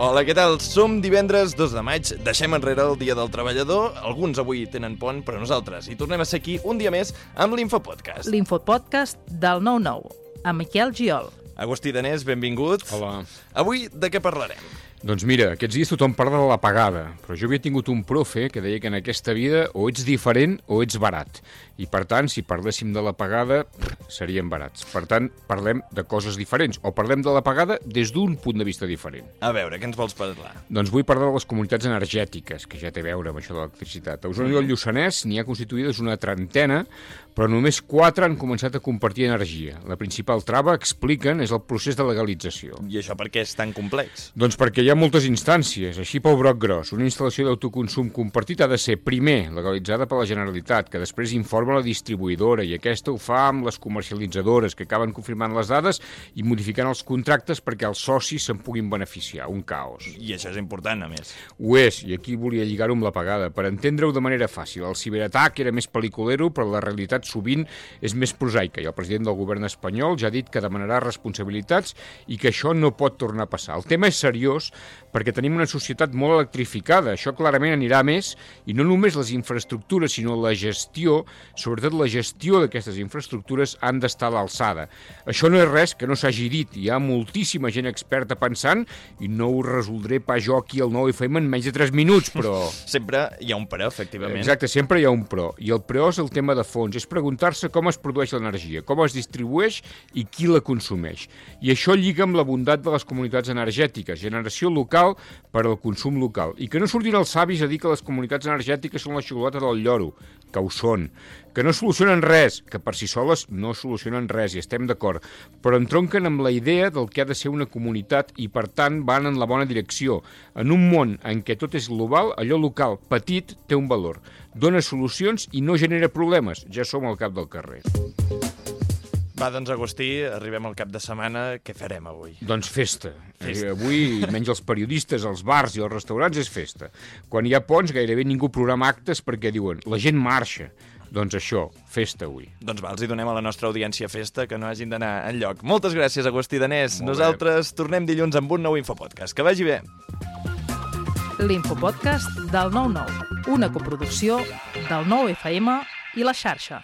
Hola, què tal? Som divendres 2 de maig, deixem enrere el Dia del Treballador, alguns avui tenen pont, però nosaltres hi tornem a ser aquí un dia més amb l'Infopodcast. L'Infopodcast del 9-9, amb Miquel Giol. Agustí Danés, benvingut. Hola. Avui de què parlarem? Doncs mira, aquests dies tothom parla de la pagada, però jo havia tingut un profe que deia que en aquesta vida o ets diferent o ets barat. I per tant, si parléssim de la pagada, seríem barats. Per tant, parlem de coses diferents, o parlem de la pagada des d'un punt de vista diferent. A veure, què ens vols parlar? Doncs vull parlar de les comunitats energètiques, que ja té a veure amb això de l'electricitat. A Osona i el Lluçanès n'hi ha constituïdes una trentena, però només 4 han començat a compartir energia. La principal trava, expliquen, és el procés de legalització. I això per què és tan complex? Doncs perquè hi ha moltes instàncies, així pel broc gros. Una instal·lació d'autoconsum compartit ha de ser, primer, legalitzada per la Generalitat, que després informa la distribuïdora, i aquesta ho fa amb les comercialitzadores, que acaben confirmant les dades i modificant els contractes perquè els socis se'n puguin beneficiar. Un caos. I això és important, a més. Ho és, i aquí volia lligar-ho amb la pagada, per entendre-ho de manera fàcil. El ciberatac era més pel·liculero, però la realitat sovint és més prosaica, i el president del govern espanyol ja ha dit que demanarà responsabilitats i que això no pot tornar a passar. El tema és seriós perquè tenim una societat molt electrificada, això clarament anirà a més, i no només les infraestructures, sinó la gestió, sobretot la gestió d'aquestes infraestructures, han d'estar a l'alçada. Això no és res que no s'hagi dit, hi ha moltíssima gent experta pensant, i no ho resoldré pas jo aquí al 9FM en menys de 3 minuts, però... Sempre hi ha un però, efectivament. Exacte, sempre hi ha un però, i el però és el tema de fons, és preguntar-se com es produeix l'energia, com es distribueix i qui la consumeix. I això lliga amb la bondat de les comunitats energètiques, generació local per al consum local. I que no surtin els savis a dir que les comunitats energètiques són la xocolata del lloro, que ho són. Que no solucionen res, que per si soles no solucionen res, i estem d'acord, però entronquen amb la idea del que ha de ser una comunitat i, per tant, van en la bona direcció. En un món en què tot és global, allò local, petit, té un valor. Dona solucions i no genera problemes. Ja som al cap del carrer. Va, doncs, Agustí, arribem al cap de setmana. Què farem avui? Doncs festa. Avui, menys els periodistes, els bars i els restaurants, és festa. Quan hi ha ponts, gairebé ningú programa actes perquè diuen la gent marxa. Doncs això, festa avui. Doncs va, els hi donem a la nostra audiència festa, que no hagin d'anar enlloc. Moltes gràcies, Agustí Danés. Molt Nosaltres tornem dilluns amb un nou Infopodcast. Que vagi bé. L'Infopodcast del 9-9, una coproducció del 9FM i La Xarxa.